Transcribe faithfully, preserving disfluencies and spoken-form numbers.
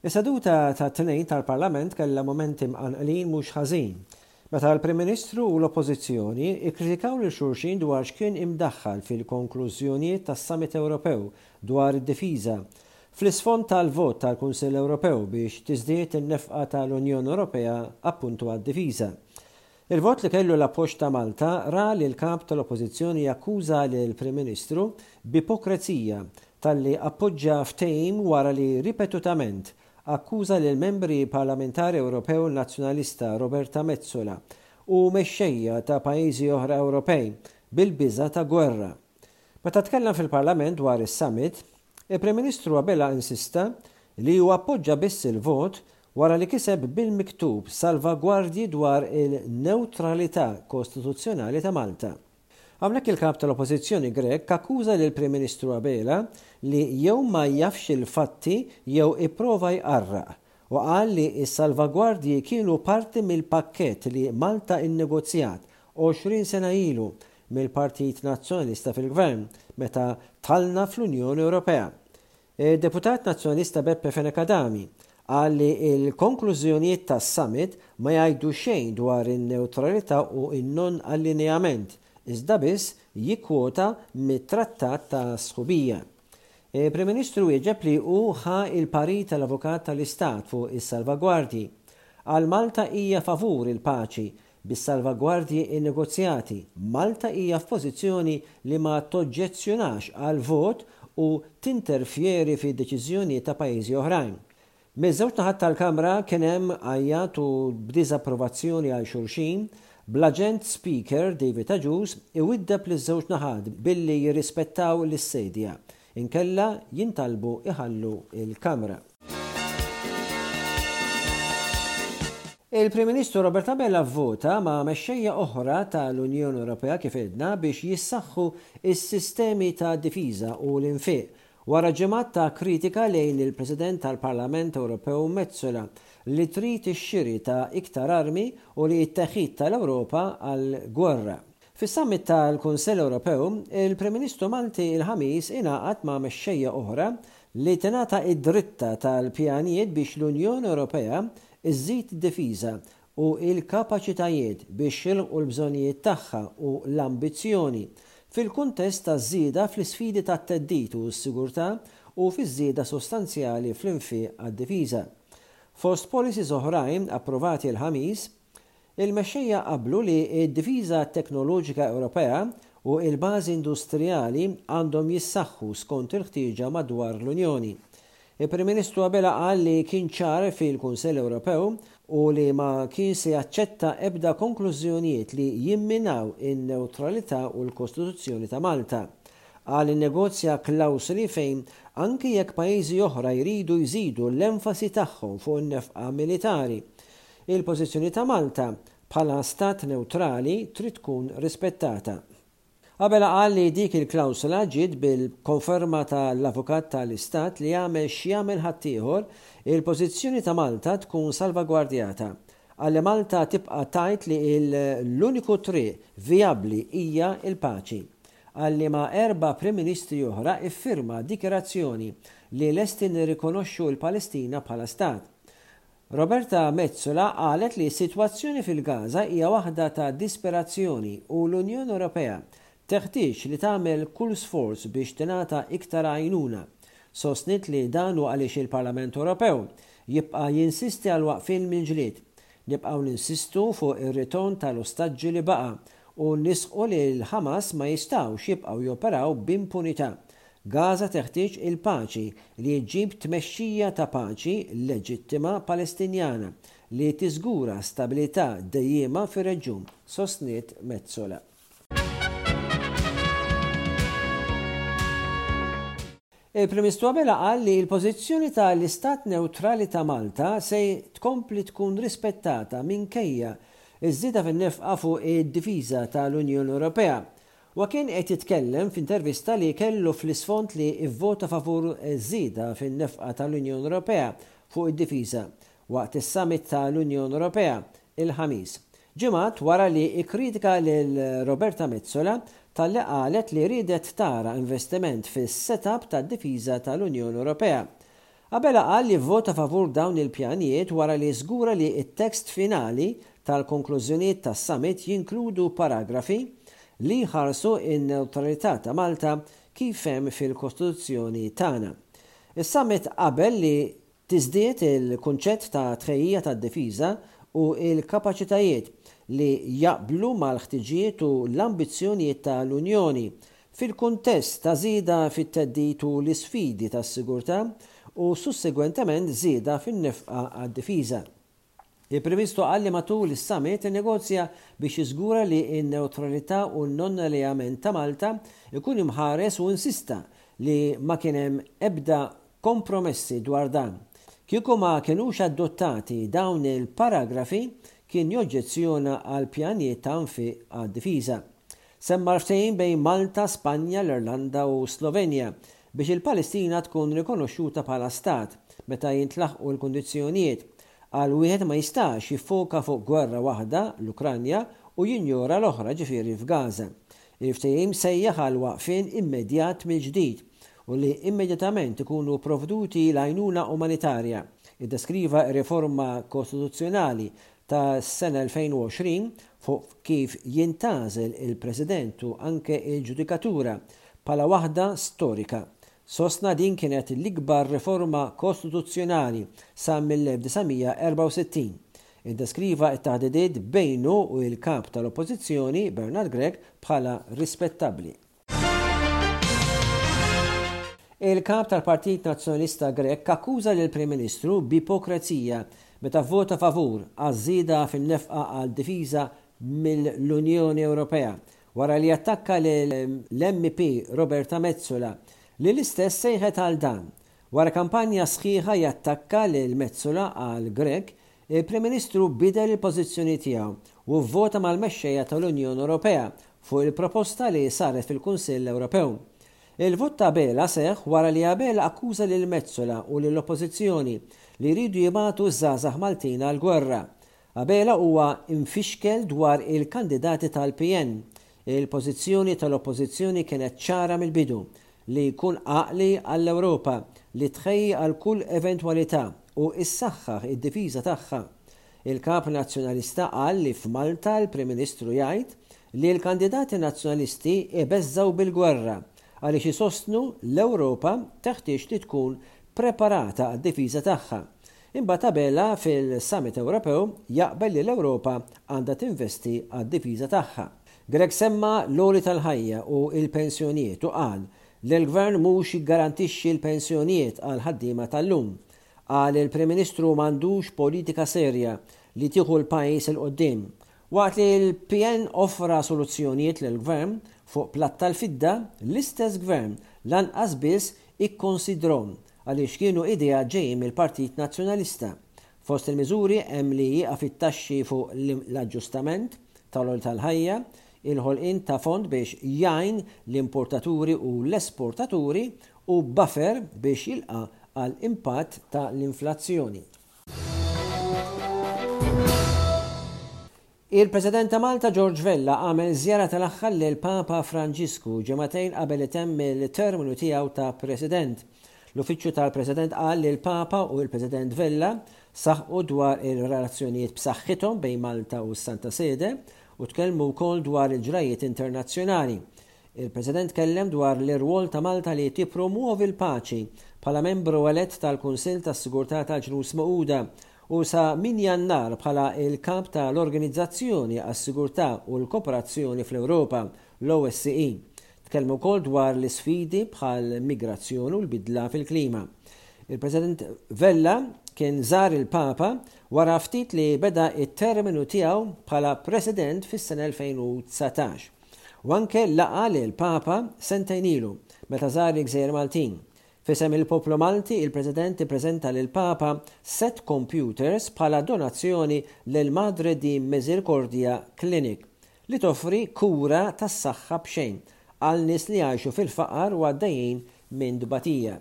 Is-seduta tat-Tnejn tal-Parlament kellha momenti mqanqlin mhux ħażin, meta l-Prim Ministru u l-Oppożizzjoni kkritikaw lil xulxin dwar x'kien imdaħħal fil-konklużjonijiet tas-Summit Ewropew dwar id-difiża, fl-isfond tal-vot tal-Kunsill Ewropew biex tiżdied in-nefqa tal-Unjoni Ewropea appuntu għad-difiża. Il-vot li kellu l-appoġġ ta' Malta ra lill-Kap tal-Oppożizzjoni jakkuża lill-Prim Ministru b'ipokrezija talli appoġġa ftehim wara li ripetutament akkuża lill-Membri Parlamentari Ewropew Nazzjonalista Roberta Metsola u mexxejja ta' pajjiżi oħra Ewropej bil-biża' ta' gwerra. Meta tkellem fil-Parlament dwar is-summit, il-Prim Ministru Abela insista li hu appoġġa biss il-vot wara li kiseb bil-miktub salvagwardji dwar il-newtralità kostituzzjonali ta' Malta. Hawnhekk il-Kap tal-Oppożizzjoni Grech akkuża lill-Prim Ministru Abela li jew ma jafx il-fatti jew ipprova jqarraq u qal li s-salvagwardji kienu parti mill-pakkett li Malta innegozjat għoxrin sena ilu mill-Partit Nazzjonalista fil-Gvern meta dħalna fl-Unjoni Ewropea. Id-Deputat Nazzjonalista Beppe Fenech Adami qal li l-konklużjonijiet tas-summit ma jgħidu xejn dwar in-newtralità u n-non-allineament, iżda biss jikkwota mit-Trattat ta' Sħubija. Il-Prim Ministru wieġeb li hu ħa l-parir tal-Avukat tal-Istat fuq is-salvagwardji. Qal Malta hija favur il-paċi bis-salvagwardji innegozjati. Malta hija f'pożizzjoni li ma toġġezzjonax għal vot u tinterfjeri fid-deċiżjonijiet ta' pajjiżi oħrajn. Miż-żewġ naħat tal-Kamra kien hemm għajjat u b'diżapprovazzjoni għal xulxin, bl-Aġent Speaker David Agius iwiddeb liż-żewġ naħat billi jirrispettaw lis-sedja, inkella jintalbu iħallu l-Kamra. Il-Prim Ministru Robert Abela vvota ma' mexxejja oħra tal-Unjoni Ewropea kif għedna biex jissaħħu s-sistemi ta' difiża u l-infiq wara ġimgħat ta' kritika lejn il-President tal-Parlament Ewropew Metsola li trid ix-xiri ta' iktar armi u li t-teħid tal-Ewropa għall-gwerra. Fis-summit tal-Kunsill Ewropew, il-Prim Ministru Malti il-Ħamis ingħaqad ma' mexxejja oħra li tingħata id-dritta tal-pjanijiet biex l-Unjoni Ewropea iżżid id-difiża u l-kapaċitajiet biex jilħqu l-bżonnijiet tagħha u l-ambizzjoni fil-kuntest taż-żieda fl-isfidi tat-theddid u s-sigurtà u fiż-żieda sostanzjali fl-infiq għad-difiża. Fost policies oħrajn approvati l-Ħamis, il-mexxejja qablu li d-difiża teknoloġika Ewropea u l-bażi industrijali għandhom jissaħħu skont il-ħtieġa madwar l-Unjoni. Il-Prim Ministru Abela qal li kien ċar fil-Kunsill Ewropew u li ma kien se jaċċetta ebda konklużjonijiet li jimminaw in-newtralità u l-Kostituzzjoni ta' Malta. Qal innegozja klawsoli fejn anki jekk pajjiżi oħra jridu jżidu l-enfasi tagħhom fuq in-nefqa militari, il-pożizzjoni ta' Malta bħala stat newtrali trid tkun rispettata. Abela qal li dik il-klawsola ġiet bil-konferma tal-Avukat tal-Istat li jagħmel x'jagħmel ħaddieħor, il-pożizzjoni ta' Malta tkun salvagwardjata. Qal li Malta tibqa' tgħid li l-uniku triq vijabbli hija l-paċi. Qal li ma' erba' Prim Ministri oħra iffirma dikjarazzjoni li lesti nirrikonoxxu l-Palestina bħala stat. Roberta Metsola qalet li s-sitwazzjoni fil-Gaza hija waħda ta' disperazzjoni u l-Unjoni Ewropea teħtieġ li tagħmel kull sforz biex tingħata iktar għajnuna. Sostniet li dan hu għaliex il-Parlament Ewropew jibqa' jinsisti għal waqfien mill-ġlied. Nibqgħu ninsistu fuq ir-ritorn tal-ostaġġi li baqa' u nisħqu li l-Ħamas ma jistgħux jibqgħu joperaw b'impunità. Gaza teħtieġ il-paċi li ġġib tmexxija ta' paċi leġittima Palestinjana li tiżgura stabilità dejjiema fir-reġjun, sostniet Metsola. Il-Prim Ministru Abela qal li l-pożizzjoni tal-Istat Newtrali ta' Malta se tkompli tkun rispettata minkejja ż-żieda fin-nefqa fuq id-difiża tal-Unjoni Ewropea. Huwa kien qed jitkellem f'intervista li kellu fl-isfond li vvota favur żieda fin-nefqa tal-Unjoni Ewropea fuq id-difiża waqt is-summit tal-Unjoni Ewropea il-Ħamis, ġimgħat wara li kkritika lil Roberta Metsola talli qalet li riedet tara investiment fis-setup tad-difiża tal-Unjoni Ewropea. Abela qal li vvota favur dawn il-pjanijiet wara li żgura li t-tekst finali tal-konklużjonijiet tas-summit jinkludu paragrafi li jħarsu n-newtralità ta' Malta kif hemm fil-Kostituzzjoni tagħna. Is-summit qabel li tiżdied il-kunċett ta' tħejjija tad-difiża u l-kapaċitajiet li jaqblu mal-ħtiġijiet u l-ambizzjonijiet tal-Unjoni fil-kuntest ta' żieda fit-theddid u l-isfidi tas-sigurtà u sussegwentement żieda fin-nefqa għad-difiża. Il-Prim Ministru qal li matul is-summit innegozja biex jiżgura li n-newtralità u n-non-alleament ta' Malta ikun imħares u insista li ma kien hemm ebda kompromessi dwar dan. Kieku ma kinux adottati dawn il-paragrafi kien joġġezzjona għal pjanijiet ta' nfiq għad-difiża. Semma l-ftehim bejn Malta, Spanja, l-Irlanda u Slovenja biex il-Palestina tkun rikonoxxuta bħala stat meta jintlaħqu l-kundizzjonijiet. Qal wieħed ma jistax jiffoka fuq gwerra waħda, l-Ukranja, u jinjora l-oħra, ġifieri f'Gaza. Il-ftehim sejjaħ għal waqfien immedjat mill-ġdid u li immedjatament ikunu provduti l-għajnuna umanitarja. Iddeskriva r-riforma kostituzzjonali tas-sena elfejn u għoxrin fuq kif jintgħażel il-President u anke il-ġudikatura bħala waħda storika. Sostna din kienet l-ikbar riforma kostituzzjonali sa mill-elf disa' mija erbgħa u sittin. Iddeskriva t-taħdidiet bejnu u l-kap tal-Oppożizzjoni Bernard Grech bħala rispettabbli. Il-kap tal-Partit Nazzjonalista Grech akkuża lill-Prim Ministru b'ipokrezija meta vvota favur għaż-żieda fin-nefqa għal difiża mill-Unjoni Ewropea wara li attakka lill-M P Roberta Metsola li l-istess sejħet għal dan. Wara kampanja sħiħa jattakka lil Metsola għal Grech, il-Prim Ministru bidel il-pożizzjoni tiegħu u vvota mal-mexxejja tal-Unjoni Ewropea fuq il-proposta li saret fil-Kunsill Ewropew. Il-vot ta' Abela seħħ wara li Abela akkuża lil Metsola u lill-Oppożizzjoni li jridu jibagħtu ż-żgħażagħ Maltin għall-gwerra. Abela huwa infixkel dwar il-kandidati tal-P N. Il-pożizzjoni tal-Oppożizzjoni kienet ċara mill-bidu li jkun għaqli għall-Ewropa li tħejji għal kull eventwalità u issaħħaħ id-difiża tagħha. Il-kap nazzjonalista qal li f'Malta l-Prim Ministru jgħid li l-kandidati nazzjonalisti ibeżżgħu bil-gwerra għaliex isostnu l-Ewropa teħtieġ li tkun preparata għad-difiża tagħha. Imbagħad Abela fil-Summit Ewropew jaqbel li l-Ewropa għandha tinvesti għad-difiża tagħha. Grech semma l-għoli tal-ħajja u l-pensjonijiet u qal li l-Gvern mhux jiggarantixxi l-pensjonijiet għal ħaddiema tal-lum. Qal il-Prim Ministru m'għandux politika serja li tieħu l-pajjiż 'il quddiem. Waqt li l-P N offra soluzzjonijiet lill-Gvern fuq platt tal-fidda, l-istess Gvern lanqas biss ikkonsidrhom għaliex kienu idea ġejjin mill-Partit Nazzjonalista. Fost il-miżuri hemm li jieqaf it-taxxi fuq l-aġġustament tal-għoli tal-ħajja, il-ħolqien ta' fond biex jgħin l-importaturi u l-esportaturi u buffer biex jilqa' għal impatt ta' l-inflazzjoni. Il-President ta' Malta George Vella għamel żjara tal-aħħar lil Papa Franġisku ġimagħtejn qabel itemm il-terminu tiegħu ta' President. L-Uffiċċju tal-President qal li l-Papa u l-President Vella saħqu dwar il-relazzjonijiet b'saħħithom bejn Malta u s-Santa Sede u tkellmu wkoll dwar il-ġrajiet internazzjonali. Il-President kellem dwar l-irwol ta' Malta li tippromuovi l-paċi bħala membru elett tal-Kunsill tas-Sigurtà tal-Ġnus Magħquda u sa min Jannar bħala il-kap tal-Organizzazzjoni għas-Sigurtà u l-Kooperazzjoni fl-Ewropa, l-O S C E. Tkellmu wkoll dwar l-isfidi bħal migrazzjoni u l-bidla fil-klima. Il-President Vella kien żar il-Papa wara ftit li beda it-terminu tiegħu bħala President fis-sena elfejn u dsatax. U anke laqa lil Papa sentejn ilu meta żar il-Gżejjer Maltin. F'isem il-poplu Malti, il-President ippreżenta lil Papa set computers bħala donazzjoni lil Madre di Misericordia Clinic li toffri kura tas-saħħa b'xejn għal nies li jgħixu fil-faqar u għaddejjin minn dbatija.